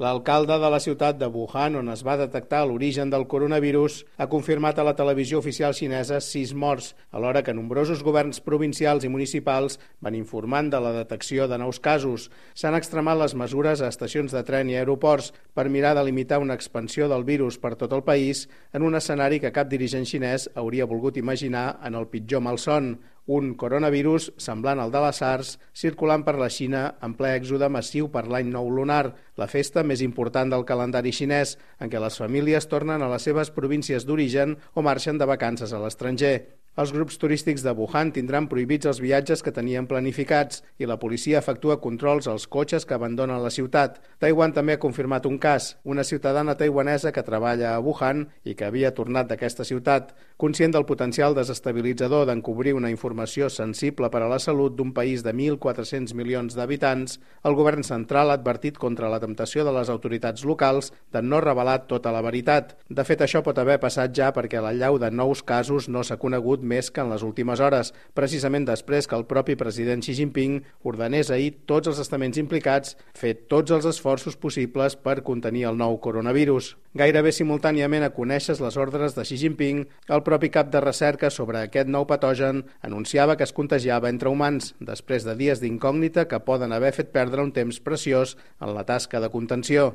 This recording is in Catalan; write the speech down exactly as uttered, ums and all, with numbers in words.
L'alcalde de la ciutat de Wuhan, on es va detectar l'origen del coronavirus, ha confirmat a la televisió oficial xinesa sis morts, alhora que nombrosos governs provincials i municipals van informant de la detecció de nous casos. S'han extremat les mesures a estacions de tren i aeroports per mirar de limitar una expansió del virus per tot el país en un escenari que cap dirigent xinès hauria volgut imaginar en el pitjor malson. Un coronavirus semblant al de la SARS circulant per la Xina en ple èxode massiu per l'any nou lunar, la festa més important del calendari xinès, en què les famílies tornen a les seves províncies d'origen o marxen de vacances a l'estranger. Els grups turístics de Wuhan tindran prohibits els viatges que tenien planificats i la policia efectua controls als cotxes que abandonen la ciutat. Taiwan també ha confirmat un cas, una ciutadana taiwanesa que treballa a Wuhan i que havia tornat d'aquesta ciutat. Conscient del potencial desestabilitzador d'encobrir una informació sensible per a la salut d'un país de mil quatre-cents milions d'habitants, el govern central ha advertit contra la temptació de les autoritats locals de no revelar tota la veritat. De fet, això pot haver passat ja perquè l'allau de nous casos no s'ha conegut més que en les últimes hores, precisament després que el propi president Xi Jinping ordenés ahir tots els estaments implicats fer tots els esforços possibles per contenir el nou coronavirus. Gairebé simultàniament a conèixer les ordres de Xi Jinping, el propi cap de recerca sobre aquest nou patogen anunciava que es contagiava entre humans, després de dies d'incògnita que poden haver fet perdre un temps preciós en la tasca de contenció.